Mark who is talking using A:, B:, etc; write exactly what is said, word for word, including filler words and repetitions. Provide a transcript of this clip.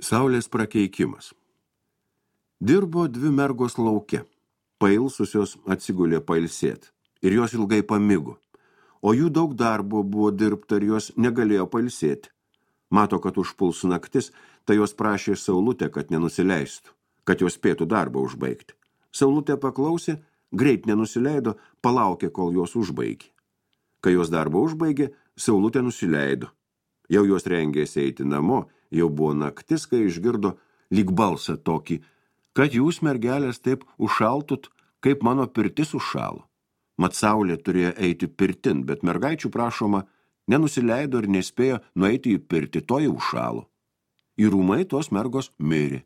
A: Saulės prakeikimas. Dirbo dvi mergos lauke. Pailsusios atsigulė pailsėt. Ir jos ilgai pamigo. O jų daug darbo buvo dirbta ir jos negalėjo pailsėti. Mato, kad užpuls naktis, tai jos prašė Saulutę, kad nenusileistų, kad jos spėtų darbą užbaigti. Saulutė paklausė, greit nenusileido, palaukė, kol jos užbaigė. Kai jos darbą užbaigė, Saulutė nusileido. Jau jos rengėsi eiti namo, jau buvo naktis, kai išgirdo lyg balsą tokį, kad jūs, mergelės, taip užšaltut, kaip mano pirtis užšalo. Mat Saulė turėjo eiti pirtin, bet mergaičių prašoma nenusileido ir nespėjo nueiti į pirtį, toji užšalo. Į rūmai tos mergos mirė.